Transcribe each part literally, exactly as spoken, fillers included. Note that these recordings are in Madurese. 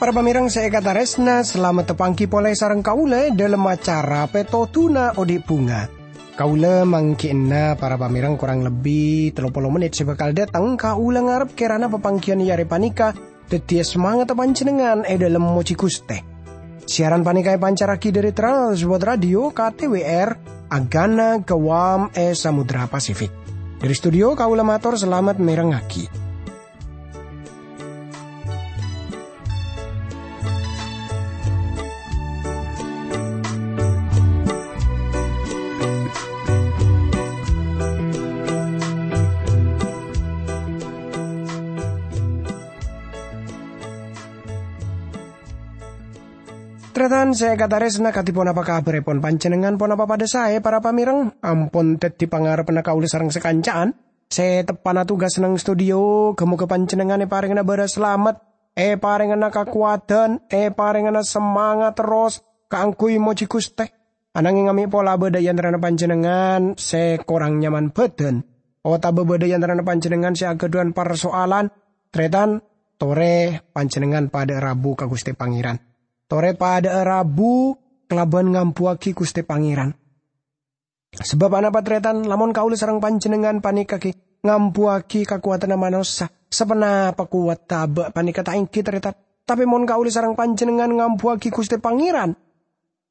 Para pamèrèng sè èkatarèsna, salamet tapangghi polè sareng kaulâ è dhâlem acara Pètodhuna Odi' Bhunga. Kaulâ mangghi'na para pamèrèng korang lebbi tello polo mennit sè bhâkal dâteng. Kaulâ ngarep kèrana papangghiyân è arè panèka dhâddhiyâ samangatta panjhennengngan è dhâlem mojhi Ghustè. Siaran panèka èpancarraghi dhâri Trans World Radio K T W R, Agana Guam è Samudra Pasifik. Dhâri studio kaulâ mator salamet mèrengngaghi. Tarètan sè èkatarèsna, kadhi ponapa kabhârèpon panjhennengngan? Ponapa padhâ saè, para pamèrèng? Ampon dhâddhi pangarebbhânna kaulâ sareng sakanca'an sè teppa'na tugas neng studio. Ghâ-mogâ panjhennengngan èparèngana bârâs salamet, èparèngana kakowadhân, èparèngana samangat terros kaangghuy mojhi Ghustè. Ananghing amè' pola bâdâ è antarana panjhennengngan sè korang nyaman bhâdhân, otabâ bâdâ è antarana panjhennengngan sè aghâdhuwân parsoalan, tarètan, torè panjhennengngan padhâ'â rabu ka Ghustè Pangèran. Torè padhâ'â rabu kalabân ngambuwâghi Ghustè Pangèran. Sabâb anapa, tarètan? Lamon kaulâ sareng panjhennengngan panèka ghi' ngambuwâghi kakowadhânna manossa, saponapa kowadhâ abâ' panèka ta' èngghi, tarètan? Tapè mon kaulâ sareng panjhennengngan ngambuwâghi Ghustè Pangèran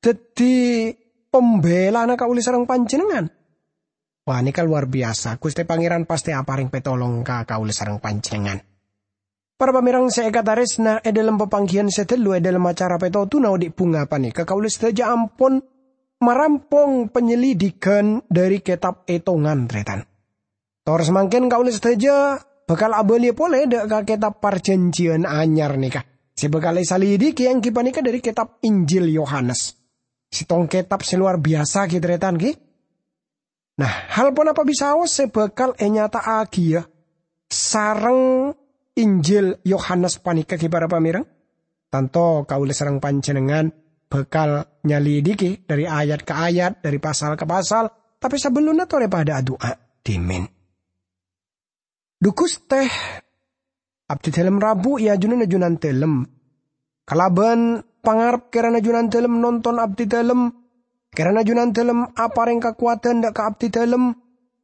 dhâddhi pambelana kaulâ sareng panjhennengngan, panèka lowar biyasa. Ghustè Pangèran pastè aparèng pètolong ka kaulâ sareng panjhennengngan. Para pamèrèng sè èkatarèsna, è dhâlem papangghiyân sè ghâllu è dhâlem acara Pètodhuna Odi' Bhunga panèka, kaulâ sadhâjâ ampon marampong panyelidikan dhâri kètab Ètongan, tarètan. Tor samangkèn kaulâ sadhâjâ bhâkal abâliyâ polè dâ' ka kètab Parjhânjhiyân Anyar nèka. Sè bhâkal èsalidiki èngghi panèka dhâri kètab Injil Yohanes. Sèttong kètab sè lowar biyasa, ghi, tarètan, ghi. Nah, hal ponapa bisaos sè bhâkal ènyata'aghiyâ sareng Injil Yohanes panèka, ghi, para pamèrèng? Tanto kaulâ sareng panjhennengngan bhâkal nyalidiki dhâri ayat ka ayat, dhâri pasal ka pasal, tapè sabellunna torè padhâ adu'a dhimèn. Dhu Ghustè, abdhidhâlem rabu è ajunanna Junandhâlem. Kalabân pangarep kèrana Junandhâlem nonton abdhidhâlem, kèrana Junandhâlem aparèng kakowadhân dâ' ka abdhidhâlem,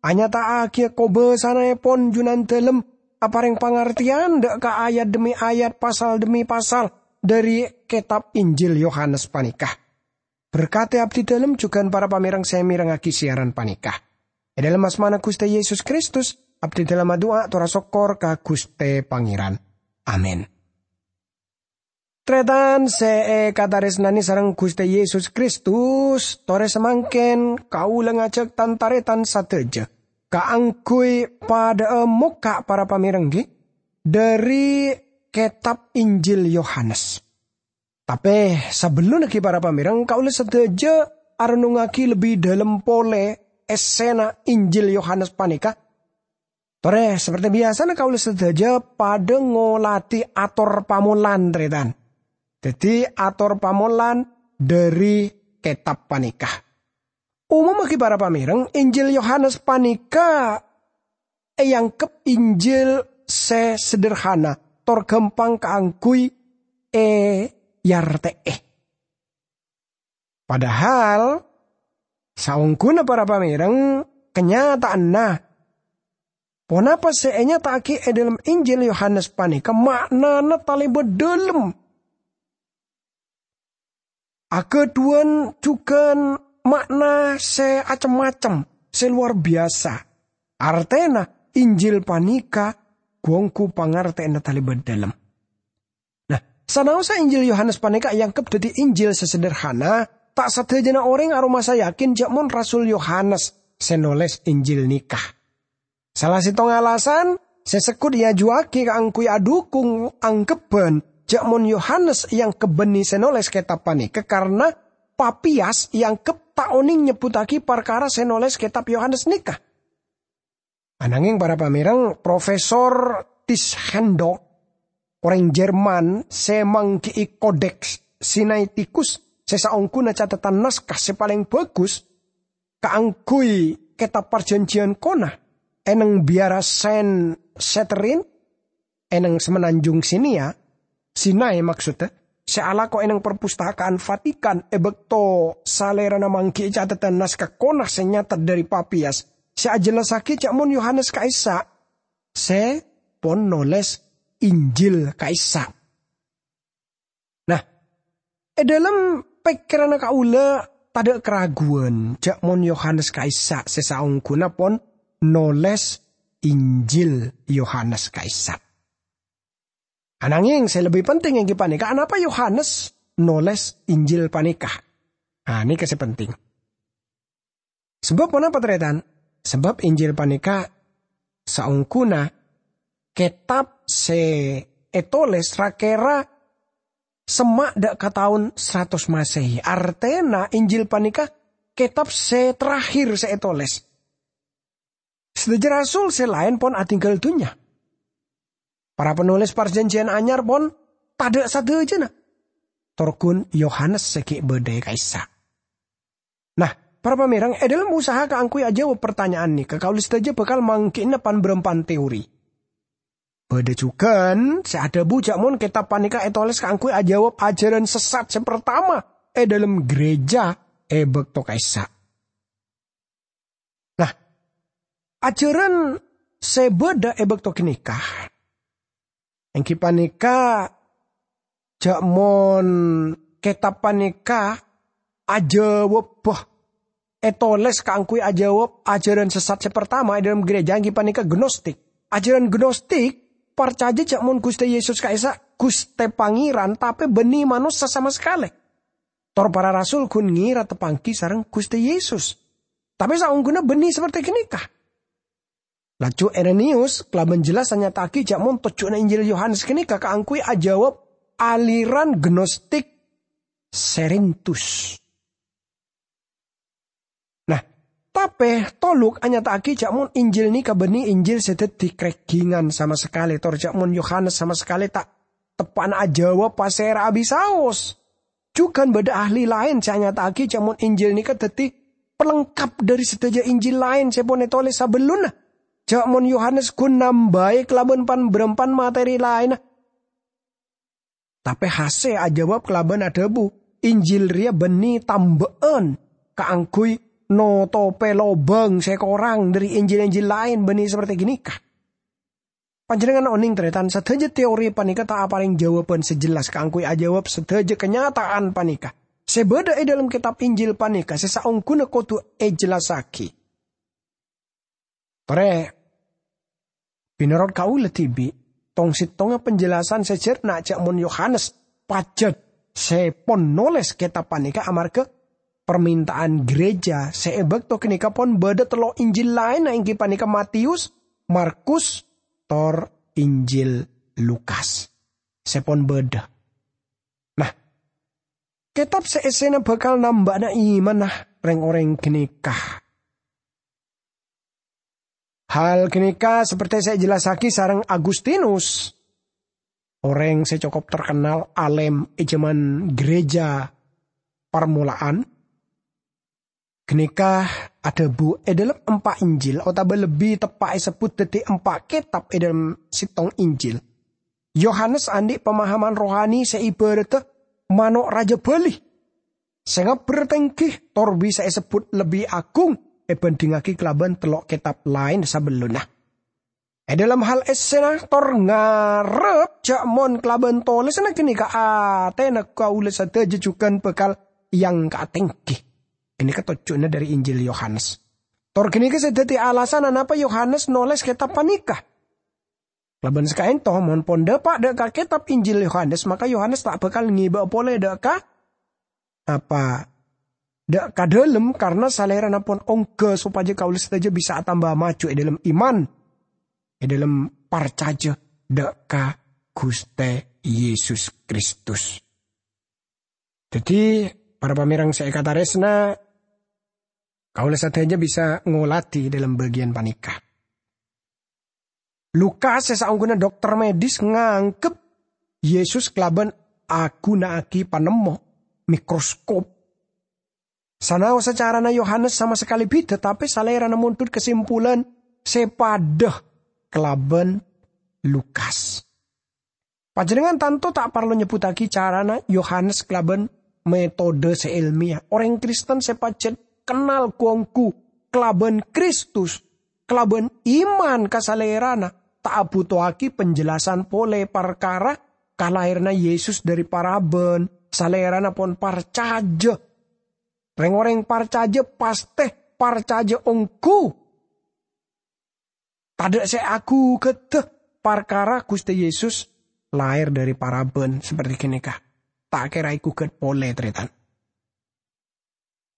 anyata'aghiyâ kobâsanaèpon Junandhâlem, aparèng pangartèyan dâ' ka ayat dhemmi ayat, pasal dhemmi pasal dhâri kètab Injil Yohanes panèka. Berkadhi abdhidhâlem jhughân para pamèrèng sè mèrengngaghi siaran panèka. È dhâlem asmana Ghustè Yesus Kristus, abdhidhâlem adu'a tor asokkor ka Ghustè Pangèran. Amin. Tarètan sè èkatarèsnanè sareng Ghustè Yesus Kristus, torè samangkèn kaulâ ngajhâk tan-tarètan sadhâjâ kaangghuy padhâ'â mokka' para pamèrèng, ghi, dhâri kètab Injil Yohanes. Tapè sabellunna ghi para pamèrèng, kaulâ sadhâjâ arennungngaghi lebbi dhâlem polè èssèna Injil Yohanes panèka. Torè, saperti biyasana kaulâ sadhâjâ padhâ ngolatè ator pamolan, tarètan. Dhâddhi, ator pamolan dhâri kètab panèka. Umumma ghi para pamèrèng, Injil Yohanes panèka èangghep Injil sè sederhana, tor ghâmpang kaangghuy èyartè'è. Padahal, saongghuna para pamèrèng, kanyata'anna, ponapa sè ènyata'aghi è dhâlem Injil Yohanes panèka ma'nana talèbât dhâlem. Aghâdhuwân jhughân ma'na sè cem-macem, sè lowar biyasa. Artèna, Injil panèka ghu-ongghu pangartèyanna talèbât dhâlem. Nah, sanaossa Injil Yohanes panèka èangghep dhâddhi Injil sè sederhana, ta' sadhâjâna orèng aromasa yakin jhâ' mon Rasul Yohanes sè nolès Injil nèka. Sala sèttong alasan sè segghut èajuwâghi kaangghuy adhukung angghebbhân jhâ' mon Yohanes èangghep bânnè sè nolès kètab panèka, karna Papiyas èangghep ta' onèng nyebbhuttaghi parkara sè nolès kètab Yohanes nèka. Anangèng, para pamèrèng, Profesor Tischendorf, orèng Jerman sè mangghi'i Kodeks Sinaitikus, sè saongghuna cathetan naskah sè palèng bhâghus kaangghuy Kètab Parjhânjhiyân Kona, è nèng biyara Sen Setterin, è nèng Semenanjung Sinea, Sinai maksoddhâ, sè alako è nèng Perpustakaan Vatikan è bâkto salèrana mangghi'i cathetan naskah Kona sè nyatet dhâri Papias, sè ajhellassaghi jhâ' mon Yohanes ka'issa' sè pon nolès Injil ka'issa'. Nah, è dhâlem pèkkèranna kaulâ tadhâ' karaguwân jhâ' mon Yohanes ka'issa' sè saongghuna pon nolès Injil Yohanes ka'issa'. Ananging sè lebbi penting èngghi panèka, anapa Yohanes nolès Injil panèka? Ah, nèka sè penting. Sabâb ponapa, tarètan? Sabâb Injil panèka saongghuna kètab sè ètolès ra-kèra semma' dhâ' ka taon saratos Masehi. Artèna Injil panèka kètab sè terakhir sè ètolès. Sadhâjâ rasul sè laèn pon adhingghâl dhunnya. Para panolès Parjhânjhiyân Anyar pon tadhâ' sadhâjâna. Tor ghun Yohanes sè ghi' bâdâ è ka'issa'. Nah, para pamèreng, è dhâlem usaha kaangghuy ajâwâb partanya'an nèka, kaulâ sadhâjâ bhâkal mangghi'na pan-bârâmpan teori. Bâdâ jhughân sè adhâbu jhâ' mon kètab panèka ètolès kaangghuy ajâwâb ajhârân sessat sè partama è dhâlem ghârèjâ è bâkto ka'issa'. Nah, ajhârân sè bâdâ è bâkto ghânèka, èngghi panèka jhâ' mon kètab panèka ajâwâbbhâ ètolès kaangghuy ajâwâb ajhârân sessat sè partama è dhâlem ghârèjâ, èngghi panèka gnostik. Ajhârân gnostik parcajâ jhâ' mon Ghustè Yesus ka'issa' Ghustè Pangèran, tapè bânnè manossa sama sakalè. Tor para rasul ghun ngèra tapanggi sareng Ghustè Yesus. Tapè saongghuna bânnè saperte ghânèka. Laju Irenèus kalabân jelas anyata'aghi jhâ' mon tojjhuwânna Injil Yohanes ghânèka kaangghuy ajâwâb aliran gnostik Serintus. Nah, tapè Toluk anyata'aghi jhâ' mon Injil nèka bânnè Injil sè dhâddhi krèghingan sama sakalè, tor jhâ' mon Yohanes sama sakalè ta' teppa'na ajâwâb pasèra'a bi' saos. Jhughân bâdâ ahli laèn sè anyata'aghi jhâ' mon Injil nèka dhâddhi palengkap dhâri sadhâjâ Injil laèn sè pon ètolès sabellunna. Jhâ' mon Yohanes ghun nambâi kalabân pan-bârâmpan materi laènna. Tapè H C ajâwâb kalabân adhâbu, Injil rèya bânnè tambâ'ân kaangghuy notopè lobâng sè korang dhâri Injil-Injil laèn bânnè saperte ghânèka. Panjhennengngan onèng, tarètan, sadhâjâ teori panèka ta' aparèng jâwâbhân sè jelas kaangghuy ajâwâb sadhâjâ kanyata'an panèka. Sè bâdâ è dhâlem kètab Injil panèka sè saongghuna kodhu èjellassaghi. Torè, mènorot kaulâ dhibi', tong-settongnga panjelasan sè jhârna jhâ' mon Yohanes pajhât sè pon nolès kètab panèka amarghâ parmènta'an ghârèjâ sè è bâkto ghânèka pon bâdâ tello' Injil laènna, èngghi panèka Matius, Markus, tor Injil Lukas. Sè pon bâdâ. Nah, kètab sè èssèna bhâkal nambâ'âna imanna rèng-orèng ghânèka. Hal ghânèka saperte sè èjellassaghi sareng Agustinus, orèng sè cokop terkenal alèm è jhâman ghârèjâ parmola'an. Ghânèka adhâbu è dhâlem empa' Injil, otabâ lebbi teppa' èsebbhut dhâddhi empa' kètab è dhâlem settong Injil. Yohanes andi' pamahaman rohani sè ibhârâddhâ mano' rajâ bâli. Sè ngabbher tèngghi tor bisa èsebbhut lebbi agung èbhândhingngaghi kalabân tello' kètab laèn sabellunna. È dhâlem hal èssèna tor ngarep jhâ' mon kalabân tolèsanna ghânèka atèna kaulâ sadhâjâ jhughân bhâkal èangka'a tèngghi. Ghânèka tojjhuwânna dhâri Injil Yohanes. Tor ghânèka sè dhâddhi alasanna napa Yohanes nolès kètab panèka. Kalabân sakaènto, mon pon dâpa' dhâ' ka kètab Injil Yohanes, maka Yohanes ta' bhâkal ngèbâ polè dhâ' ka, apa, dhâ' ka dhâlem, karna salèrana pon ongghâ sopajâ kaulâ sadhâjâ bisa atamba maju è dhâlem iman, è dhâlem parcajâ dhâ' ka Ghustè Yesus Kristus. Dhâddhi, para pamèreng sè èkatarèsna, kaulâ sadhâjâ bisa ngolatè dhâlem bâgiyân panèka. Lukas sè saongghuna dokter medis nganggep Yesus kalabân aghuna'aghi panemmo mikroskop. Sanaossa carana Yohanes sama sakalè bhidhâ, tapè salèrana mondhut kasimpulan sè padhâ kalabân Lukas. Panjhennengngan tanto ta' parlo nyebbhuttaghi carana Yohanes kalabân metode sè èlmiyah. Orèng Kristen sè pajhât kennal ghu-ongghu kalabân Kristus, kalabân iman ka Salèrana, ta' abhutowaghi penjelasan polè parkara kalaèranna Yesus dhâri parabân, Salèrana pon parcajâ. Rèng-orèng parcajâ pastè parcajâ ongghu. Tadâ' sè aghugghâdhâ parkara Ghustè Yesus laèr dhâri parabân saperti ghânèka. Ta' kèra èghughât polè, tarètan.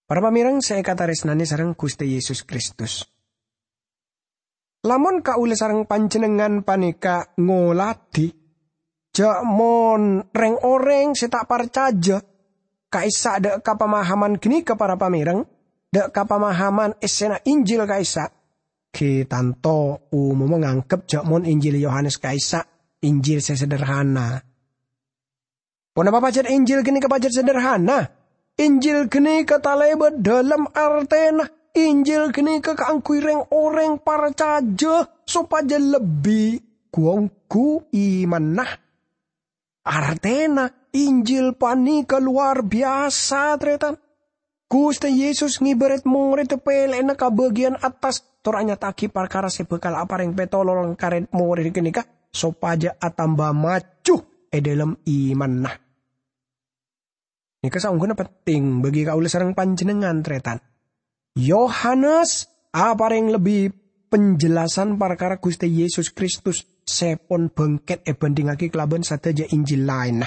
Para pamèreng sè èkatarèsnanè sareng Ghustè Yesus Kristus. Lamon kaulâ sareng panjhennengngan panèka ngoladhi, jhâ' mon rèng-orèng sè ta' parcajâ ka'issa' dâ' ka pamahaman ghânèka, para pamèreng, dâ' ka pamahaman èssèna Injil ka'issa', ghi tanto umumma nganggep jhâ' mon Injil Yohanes ka'issa' Injil sè sederhana. Ponapa pajhât Injil ghânèka pajhât sederhana? Injil ghânèka talèbât dhâlem artèna. Injil ghânèka kaangghuy rèng-orèng parcajâ sopajâ lebbi ghu-ongghu imanna. Artèna Injil panèka lowar biyasa, tarètan. Ghustè Yesus ngèbâ rèd-morèdda pèlè'na ka bâgiyân attas, tor anyata'aghi parkara sè bhâkal aparèng pètololong ka rèd-morèdda ghânèka, sopajâ atamba maju è dhâlem imanna. Nèka saongghuna penting bagi kaulâ sareng panjhennengngan, tarètan. Yohanes aparèng lebbi penjelasan parkara Ghustè Yesus Kristus sè pon bângkèt èbhândhingngaghi kalabân sadhâjâ Injil laènna.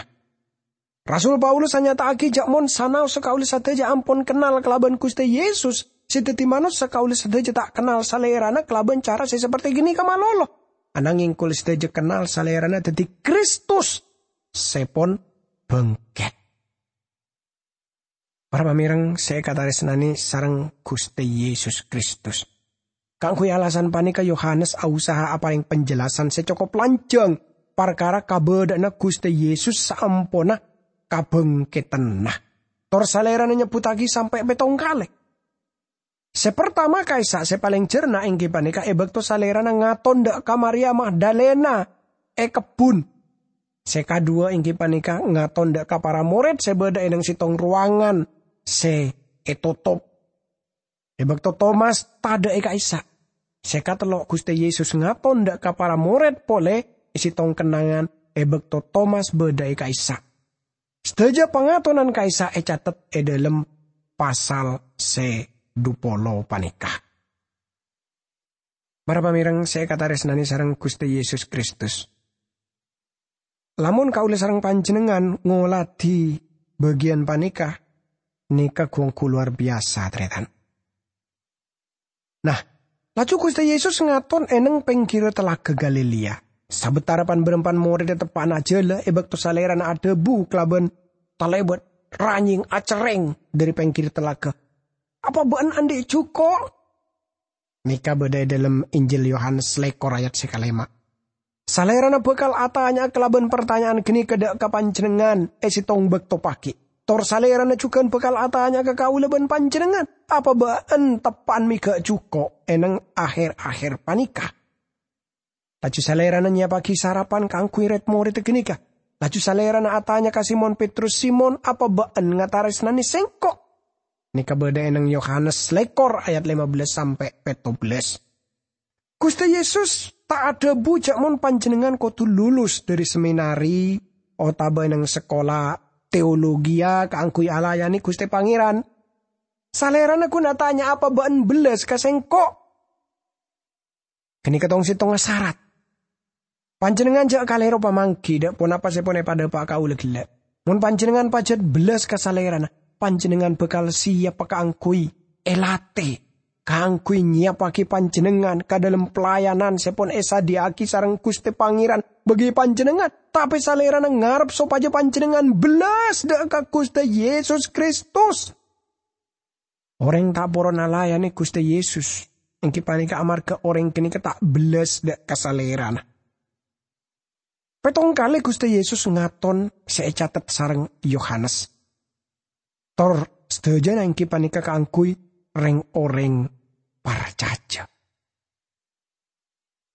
Rasul Paulus anyata'aghi jhâ' mon sanaossa kaulâ sadhâjâ ampon kennal kalabân Ghustè Yesus, sè dhâddhi manossa kaulâ sadhâjâ ta' kennal Salèrana kalabân cara sè saperti ghânèka malolo. Ananghèng kaulâ sadhâjâ kennal Salèrana dhâddhi Kristus sè pon bângkèt. Para pamèreng sè èkatarèsnanè sareng Ghustè Yesus Kristus. Kaangghuy alasan panèka Yohanes ausaha aparèng penjelasan sè cokop lanjhâng parkara kabâdâ'ânna Ghustè Yesus saamponna kabângkèdhânna. Tor Salèrana nyebbhuttaghi sampè' pèttong kalè. Sè partama ka'issa' sè palèng jhârna èngghi panèka è bâkto Salèrana ngaton dâ' ka Maria Magdalena è kebbhun. Sè kaduwâ èngghi panèka ngaton dâ' ka para morèd sè bâdâ è nèng sèttong rowangan sè ètotop. È bâkto Tomas tadâ' è ka'issa'. Sè katello' Ghustè Yesus ngaton dâ' ka para morèd polè è sèttong kennangan è bâkto Tomas bâdâ è ka'issa'. Sadhâjâ pangatonan ka'issa' ècatet è dhâlem pasal sè dupolo panèka. Para pamèreng sè èkatarèsnanè sareng Ghustè Yesus Kristus. Lamon kaulâ sareng panjhennengngan ngoladhi bâgiyân panèka, nèka ghu-ongghu lowar biyasa, tarètan. Nah, laju Ghustè Yesus ngaton è nèng pèngghirrâ Talaga Galilea. Sabâtara pan-bârâmpan morèdda teppa'na ajhâlâ è bâkto Salèrana adhâbu kalabân talèbât ranyèng acerrèng dhâri pèngghir talaga, "Apa bâ'na andi' jhuko'?" Nèka bâdâ è dhâlem Injil Yohanes lèkor ayat sè kalèma'. Salèrana bhâkal atanya'a kalabân partanya'an ghânèka dâ' ka panjhennengngan è sèttong bâkto pagi'. Tor Salèrana jhughân bhâkal atanya'a ka kaulâ bân panjhennengngan, "Apa bâ'na teppa'na mèghâ' jhuko' è nèng aher-aher panèka?" Laju Salèrana nyèyappaghi sarapan kaangghuy rèd-morèdda ghânèka. Laju Salèrana atanya ka Simon Petrus, "Simon, apa bâ'na ngatarèsnanè Sèngko'?" Nèka bâdâ è nèng Yohanes lèkor ayat lèma bellâs sampè' pètto bellâs. Ghustè Yesus ta' adhâbu jhâ' mon panjhennengngan kodhu lulus dhâri seminari otabâ è nèng sakola teologia kaangghuy alayanè Ghustè Pangèran. Salèrana ghun atanya, "Apa bâ'na bellas ka Sèngko'?" Ghânèka tong-sèttongnga sarat. Panjhennengngan jhâ' kalèro pamangghi dâ' ponapa sè pon èpadhâpa' kaulâ ghellâ'. Mon panjhennengngan pajhât bellas ka Salèrana, panjhennengngan bhâkal sèyappa kaangghuy èlatè, kaangghuy nyèyappaghi panjhennengngan ka dhâlem pelayanan sè pon èsadhiyâ'aghi sareng Ghustè Pangèran bagi panjhennengngan. Tapè Salèrana ngarep sopajâ panjhennengngan bellas dâ' ka Ghustè Yesus Kristus. Orèng ta' poron alayanè Ghustè Yesus, èngghi panèka amarghâ orèng ghânèka ta' bellas dâ' ka Salèrana. Pèttong kalè Ghustè Yesus ngaton sè ècatet sareng Yohanes. Tor sadhâjâna èngghi panèka kaangghuy rèng-orèng parcajâ.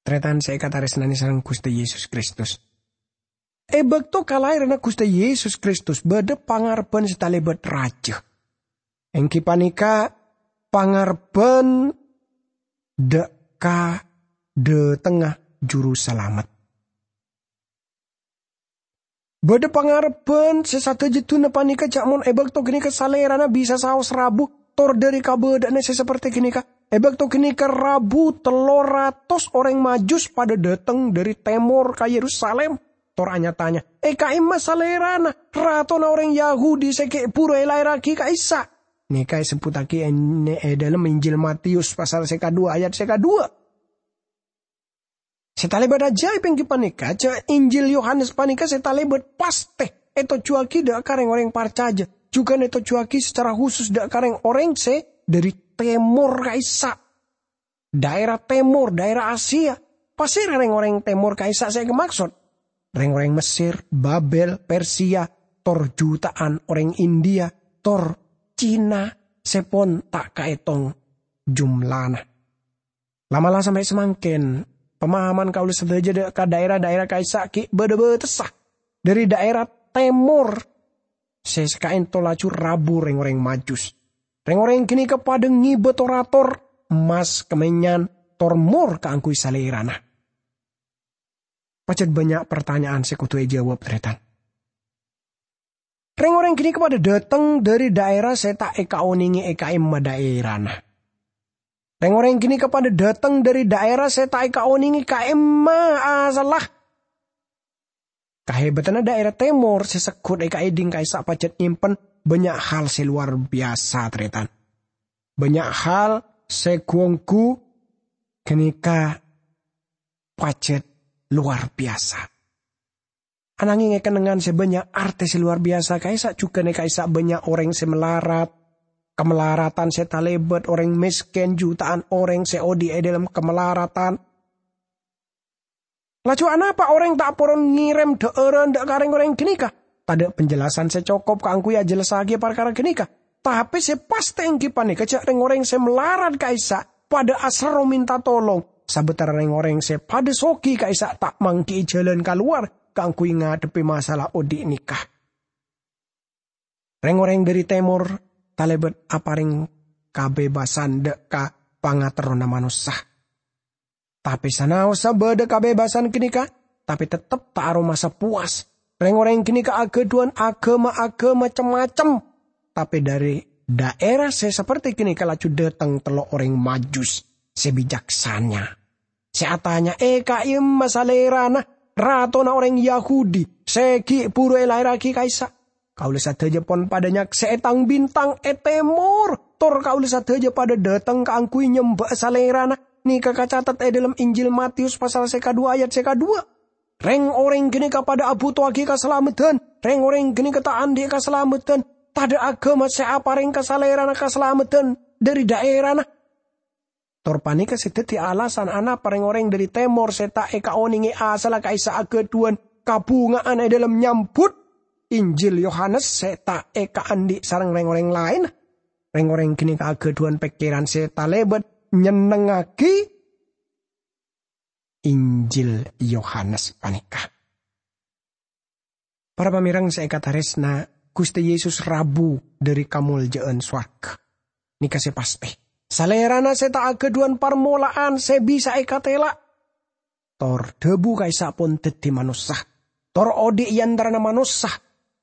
Tarètan sè èkatarèsnanè sareng Ghustè Yesus Kristus. È bâkto kalaèranna Ghustè Yesus Kristus bâdâ pangarebbhân sè talèbât rajâ. Èngghi panèka pangarebbhân dâ' ka dâtengnga Juru Salamet. Bâdâ pangarebbhân sè sadhâjâ dhuna panèka jhâ' mon è bâkto ghânèka Salèrana bisa saos rabu tor dâri kabâdâ'ânna sè saperti ghânèka. È bâkto ghânèka rabu tello ratos orèng Majus padâ dâteng dâri tèmor ka Yerusalim, tor nya-tanya, "È ka'imma Salèrana, Ratona orèng Yahudi sè ghi' bhuru èlaèrraghi ka'issa'?" Nèka èsebbhuttaghi è, è dâlem Injil Matius pasal sè kadhuwâ ayat sè kadhuwâ. Sè talèbât ajaib èngghi panèka jhâ' Injil Yohanes panèka sè talèbât pastè ètojjhuwâghi dâ' ka rèng-orèng parcajâ, jhughân ètojjhuwâghi secara khusus dâ' ka rèng-orèng sè dâri tèmor ka'issa'. Dhaèra tèmor, dhaèra Asia. Pasèra rèng-orèng tèmor ka'issa' sè èkamaksod? Rèng-orèng Messer, Babel, Persia, tor juta'an orèng India, tor Cina sè pon ta' kaètong jumlana. La'-mala' sampè' samangkèn, pamahaman kaulâ sadhâjâ dâ', ka dhaèra-dhaèra ka'issa' ghi' bâdâ bâtessa. Dâri dhaèra tèmor sè sakaènto laju rabu rèng-orèng Majus. Rèng-orèng ghânèka padâ ngibâ tor-ator, emmas, kamènyan, tor mor kaangghuy Salèrana. Pajhât bânnya' partanya'an sè kodhu èjâwâb, tarètan. Rèng-orèng ghânèka padâ dâteng dâri dhaèra sè ta' èkaonèngè è ka'imma dhaèrana. Rèng-orèng ghânèka padâ dâteng dâri dhaèra sè ta' èkaonèngè ka'imma asalla. Kahèbhâtanna dhaèra tèmor sè segghut èkaèdhing ka'issa' pajhât nyèmpen bânnya' hal sè lowar biyasa, tarètan. Bânnya' hal sè ghu-ongghu ghânèka pajhât lowar biyasa. Anangèng è kennengngan sè bânnya' artè sè lowar biyasa ka'issa' jhughân è ka'issa' bânnya' orèng sè malarat, kamalaratan sè talèbât orèng mèskèn, juta'an orèng sè odi' è dâlem kamalaratan. Laju anapa orèng ta' poron ngèrèm dhâ'ârân dâ' ka rèng-orèng ghânèka? Tadâ' penjelasan sè cokop kaangghuy ajhellassaghiyâ parkara ghânèka. Tapè sè pastè èngghi panèka jhâ' rèng-orèng sè malarat ka'issa' padâ aserro mènta tolong, sabâtara rèng-orèng sè padâ soghi ka'issa' ta' mangghi'i jhâlân kalowar kaangghuy ngadhebbhi masalah odi' nèka. Rèng-orèng dâri tèmor talèbât aparèng kabebasân dâ' ka pangaterrona manossa. Tapè sanaossa bâdâ kabebasân ghânèka, tapè tettep ta' aromasa powas. Rèng-orèng ghânèka aghâdhuwân aghâma-aghâma cem-macem. Tapè dâri dhaèra sè saperti ghânèka laju dâteng tello' orèng Majus sè bicaksana, sè atanya, "È ka'imma Salèrana, Ratona orèng Yahudi, sè ghi' bhuru èlaèrraghi ka'issa'?" Kaulâ sadhâjâ pon padâ nyaksè'è tang-bintang è tèmor, tor kaulâ sadhâjâ padâ dâteng kaangghuy nyembâ'â Salèrana. Nèka kacatet è dâlem Injil Matius pasal sè kadhuwâ ayat sè kadhuwâ. Rèng-orèng ghânèka padâ abhuto'aghi kasalameddhân. Rèng-orèng ghânèka ta' andi' kasalameddhân. Tadâ' aghâma sè aparèng ka Salèrana kasalameddhân dâri dhaèrana. Tor panèka sè dhâddhi alasan anapa rèng-orèng dâri tèmor sè ta' èkaonèngè asalla ka'issa' aghâdhuwân kabhunga'an è dâlem nyambhut Injil Yohanes sè ta' èkaandi' sareng rèng-orèng laènna. Rèng-orèng ghânèka aghâdhuwân pèkkèran sè talèbât nyennengngaghi Injil Yohanes panèka. Para pamèreng sè èkatarèsna, Ghustè Yesus rabu dâri kamoljâ'ân sowarghâ. Nèka sè pastè, Salèrana sè ta' aghâdhuwân parmola'an sè bisa èkatèla'. Tor dhâbu ka'issa' pon dhâddhi manossa. Tor odi' è antarana manossa.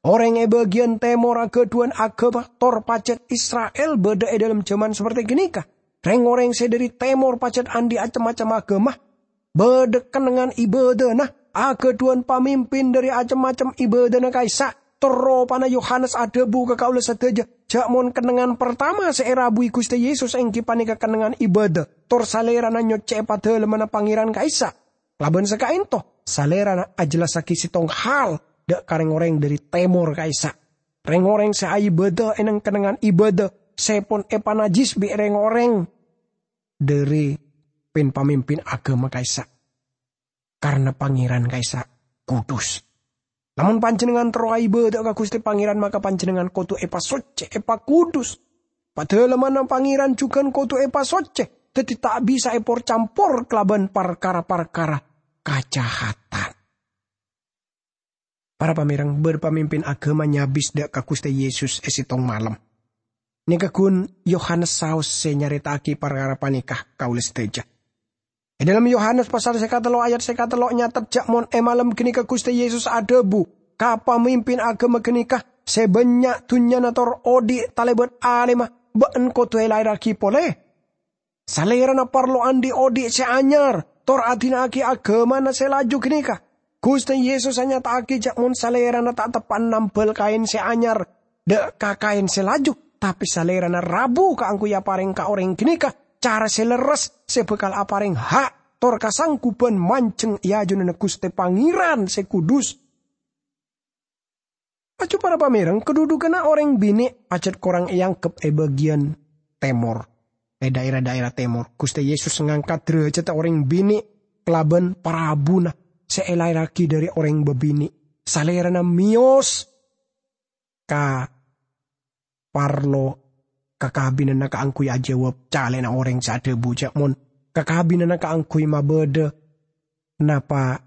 Orèng è bâgiyân tèmor aghâdhuwân aghâma tor pajhât Isra'il bâdâ è dâlem jhâman saperti ghânèka. Rèng-orèng sè dâri tèmor pajhât andi' cem-macem aghâma. Bâdâ kennengngan ibâdâna, aghâdhuwân pamimpin dâri cem-macem ibâdâna ka'issa'. Tor ropana Yohanes adhâbu ka kaulâ sadhâjâ, jhâ' mon kennengngan partama sè èrabuwi Ghustè Yesus èngghi panèka kennengngan ibâdâ, tor Salèrana nyoccè'è padâlemmanna Pangèran ka'issa'. Kalabân sakaènto, Salèrana ajhellassaghi sèttong hal dâ' ka rèng-orèng dâri tèmor ka'issa'. Rèng-orèng sè aibâdâ è neng-kennengngan ibâdâ sè pon èpanajjis bi' rèng-orèng dâri pin-pamimpin aghâma ka'issa', karna Pangèran ka'issa' kudus. Lamon panjhennengngan terro aibâdâ ka Ghustè Pangèran, maka panjhennengngan kodhu èpasoccè, èpakudus. Padâlemmanna Pangèran jhughân kodhu èpasoccè, dhâddhi ta' bisa èpor-campor kalabân parkara-parkara kajahadhân. Para pamèreng, bâr pamimpin aghâma nyabis dâ' ka Ghustè Yesus è sèttong malem. Nèka ghun Yohanes saos sè nyarèta'aghi parkara panèka ka kaulâ sadhâjâ. È dhâlem Yohanes pasal sè katello' ayat sè katello' nyatet jâ' mon è malem ghânèka Ghustè Yesus adhâbu ka pamimpin aghâma ghânèka sè bânnya' dhunnyana tor odi' talèbât alèmma, "Bâ'na kodhu èlaèrraghi polè. Salèrana parlo andi' odi' sè anyar, tor adina'aghi aghâmana sè laju ghânèka." Ghustè Yesus anyata'aghi jâ' mon Salèrana ta' teppa'na nambâl kaèn sè anyar dâ' ka kaèn sè laju, tapè Salèrana rabu kaangghuy aparèng ka orèng ghânèka cara sè lerres sè bhâkal aparèng ha' tor kasangguban manjheng è ajunanna Ghustè Pangèran sè kudus. Laju para pamèreng, kadhudhughânna orèng binè' pajhât korang èangghep è bâgiyân tèmor, è dhâèra-dhâèra tèmor. Ghustè Yesus ngangkat dârâjhâddhâ orèng binè' kalabân parabuna sè èlaèrraghi dhâri orèng bâbinè'. Salèrana mèyos ka parlo kakabinanna kaangghuy ajâwâb calèna orèng sè adhâbu jâ' mon kakabinanna kaangghuy mabâdâ napa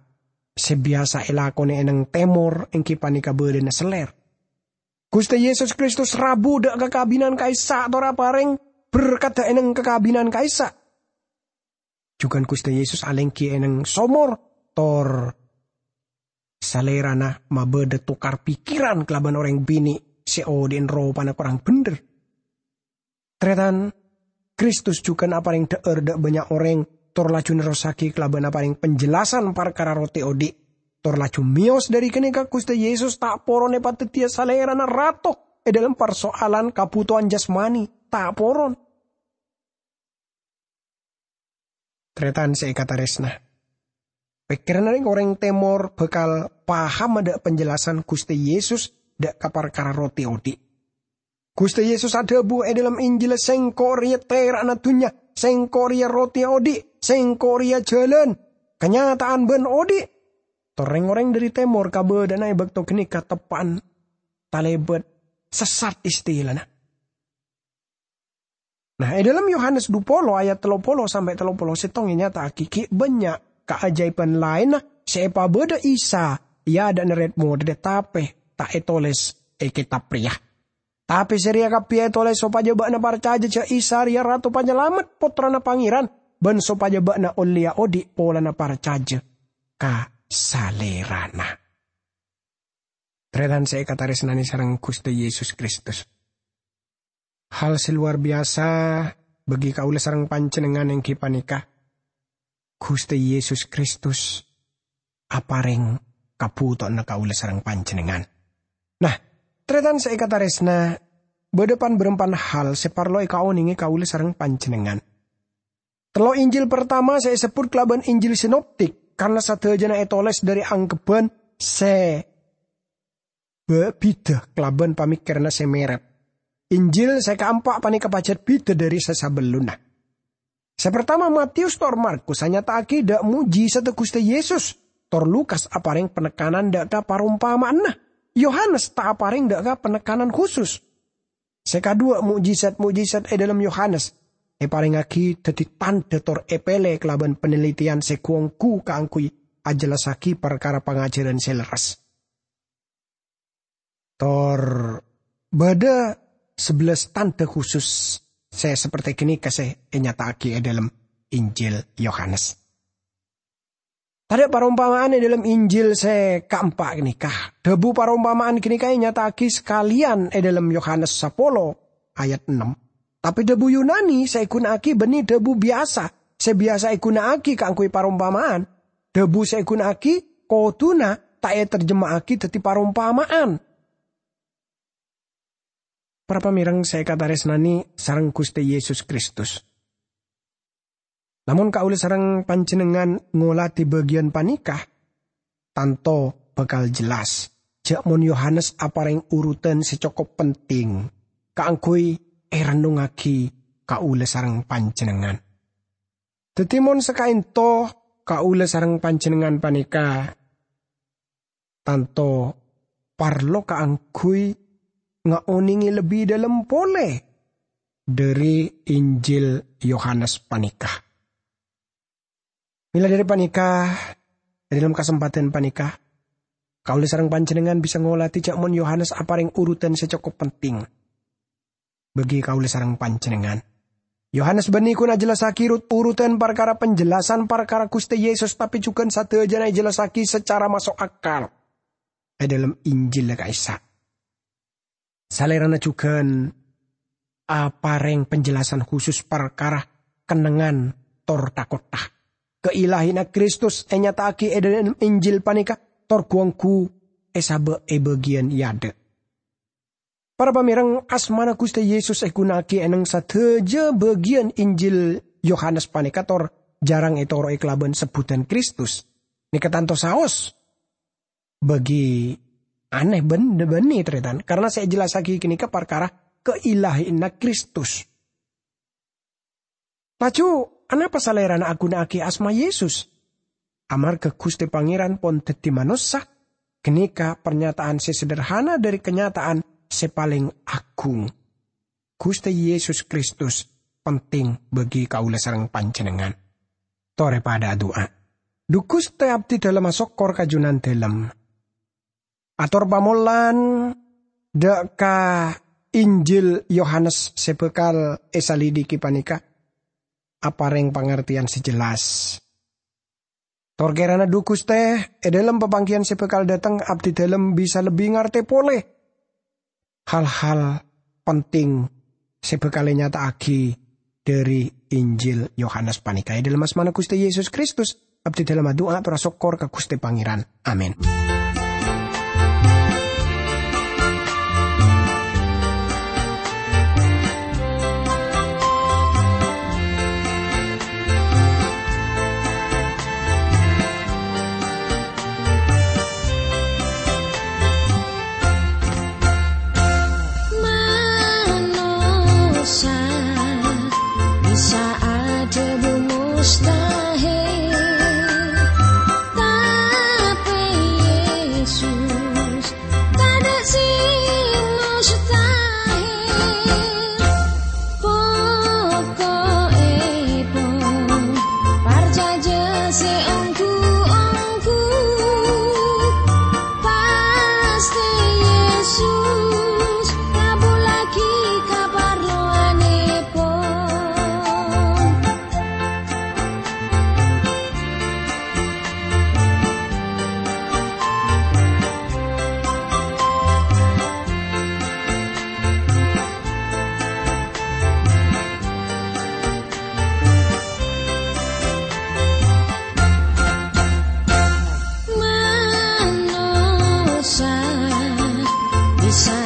sè biyasa èlakonè è neng tèmor, èngghi panèka bâdâna sellèr. Ghustè Yesus Kristus rabu dâ' kakabinan ka'issa' tor aparèng berkadda è neng kakabinan ka'issa'. Jhughân Ghustè Yesus alèngghi è neng somor, tor Salèrana mabâdâ tokar pèkkèran kalabân orèng binè' sè odi'na ropana korang bhendher. Tarètan, Kristus jhughân aparèng dhâ'âr dâ' bânnya' orèng, tor laju nerrossaghi kalabân aparèng penjelasan parkara roti odi'. Tor laju mèyos dhâri ghânèka, Ghustè Yesus ta' poron èpadhâddhiyâ Salèrana Rato è dhâlem parsoalan kabhutowan jasmani, ta' poron. Tarètan sè èkatarèsna, pèkkèranna rèng-orèng tèmor bhâkal pahamma dâ' penjelasan Ghustè Yesus dâ' ka parkara roti odi'. Ghustè Yesus adhâbu è dhâlem Injil, "Sèngko' rèya tèra'na dhunnya, Sèngko' rèya roti odi', Sèngko' rèya jhâlân, kanyata'an bân odi'." Tor rèng-orèng dhâri tèmor kabâdâ'na è bâkto ghânèka teppa'na talèbât sessat istilana. Nah, è dhâlem Yohanes dhu polo ayat tello polo sampè' tello polo sèttong ènyata'aghi ghi' bânnya' kaajâibhân laènna sè èpabâdâ Isa è adâ'na rèd-modhâddhâ, tapè ta' ètolès è kètab rèya. Tapè sè rèya kabbhi ètolès sopajâ bâ'na parcajâ jâ' Isa rèya Rato Panyalamet, Pottrana Pangèran, bân sopajâ bâ'na ollèya odi' polana parcajâ ka Salèrana. Tarètan sè èkatarèsnanè sareng Ghustè Yesus Kristus. Hal sè lowar biyasa bagi kaulâ sareng panjhennengngan èngghi panèka, Ghustè Yesus Kristus aparèng kabhutowanna kaulâ sareng panjhennengngan. Nah, tarètan sè èkatarèsna, bâdâ pan-bârâmpan hal sè parlo èkaonèngè kaulâ sareng panjhennengngan. Tello' Injil partama sè èsebbhut kalabân Injil sinoptik, karna sadhâjâna ètolès dhâri angkebbhân sè bâ-, bhidhâ kalabân pamèkkèranna sè mèrèp. Injil sè kaempa' panèka pajhât bhidhâ dhâri sè sabellunna. Sè partama, Matius tor Markus anyata'aghi dâ' mo'jizadda Ghustè Yesus, tor Lukas aparèng panekkanan dâ' ka parompama'anna. Yohanes ta' aparèng dâ' ka panekkanan khusus. Sè kadhuwâ', mo'jizat-mo'jizat è dhâlem Yohanes èparèngaghi dhâddhi tandhâ tor èpèlè kalabân panelitèyan sè ghu-ongghu kaangghuy ajellassaghi parkara pangajhârân sè lerres. Tor bâdâ sabellâs tandhâ khusus sè sapertè ghânèka sè ènyata'aghi è dhâlem Injil Yohanes. Tadâ' parompama'an è dhâlem Injil sè kaempa' ghânèka. Dhâbu parompama'an ghânèka ènyata'aghi sakalèyan è dhâlem Yohanes sapolo ayat ennem. Tapè dhâbu Yunani sè èghuna'aghi bânnè dhâbu biyasa, sè biyasa èghuna'aghi kaangghuy parompama'an. Dhâbu sè èghuna'aghi kodhuna ta' ètarjemma'aghi dhâddhi parompama'an. Para pamèreng sè èkatarèsnanè sareng Ghustè Yesus Kristus. Lamon kaulâ sareng panjhennengngan ngolatè bâgiyân panèka, tanto bhâkal jellas jâ' mon Yohanes aparèng urutan sè cokop penting kaangghuy èrennongngaghi kaulâ sareng panjhennengngan. Dhâddhi, mon sakaènto kaulâ sareng panjhennengngan panèka tanto parlo kaangghuy ngaonèngè lebbi dhâlem polè dhâri Injil Yohanes panèka. Mèla dhâri panèka, è dhâlem kasempadhân panèka, kaulâ sareng panjhennengngan bisa ngolatè jhâ' mon Yohanes aparèng urutan sè cokop penting bagi kaulâ sareng panjhennengngan. Yohanes bânnè ghun ajellassaghi rut-urutan parkara penjelasan parkara Ghustè Yesus, tapè jhughân sadhâjâna èjellassaghi sacara maso' akal è dhâlem Injil ka'issa'. Salèrana jhughân aparèng penjelasan khusus parkara kennengngan tor takotta. Kailahèyanna Kristus ènyata'aghi è dhâlem Injil panèka tor ghu-ongghu èsabâ' è bâgiyân è adâ'. Para pamèreng, asmana Ghustè Yesus èghuna'aghi è nèng sadhâjâ bâgiyân Injil Yohanes panèka tor jhârâng ètoro'è kalabân sebbhudhân Kristus. Nèka tanto saos bâgi anè bân-, bânnè, tarètan, karna sè èjellassaghi ghânèka parkara kailahèyanna Kristus. Laju, anapa Salèrana aghuna'aghi asma Yesus? Amarghâ Ghustè Pangèran pon dhâddhi manossa, ghânèka parnyataan sè sederhana dhâri kanyata'an sè palèng aghung. Ghustè Yesus Kristus penting bagi kaulâ sareng panjhennengngan. Torè padhâ adu'a. Dhu Ghustè, abdhi dhâlem asokkor ka Jhunandhâlem. Ator pamolan dâ' ka Injil Yohanes sè bhâkal èsalidiki panèka aparèng pangartèyan sè jelas. Tor kèrana dhu Ghustè, è dhâlem papangghiyân sè bhâkal dâteng, abdhi dhâlem bisa lebbi ngartè polè hal-hal penting sè bhâkal ènyata'aghi dhâri Injil Yohanes panèka. È dhâlem asmana Ghustè Yesus Kristus, abdhi dhâlem adu'a ator asokkor ka Ghustè Pangèran. Amin. Manossa bisa adhâbu mustahil, tapè Yesus tadâ' sè mustahil. Poko'èpon, parcajâ sè ongghu-ongghu, pastè Yesus ngabhullaghi kaparlowanèpon. Manossa bisa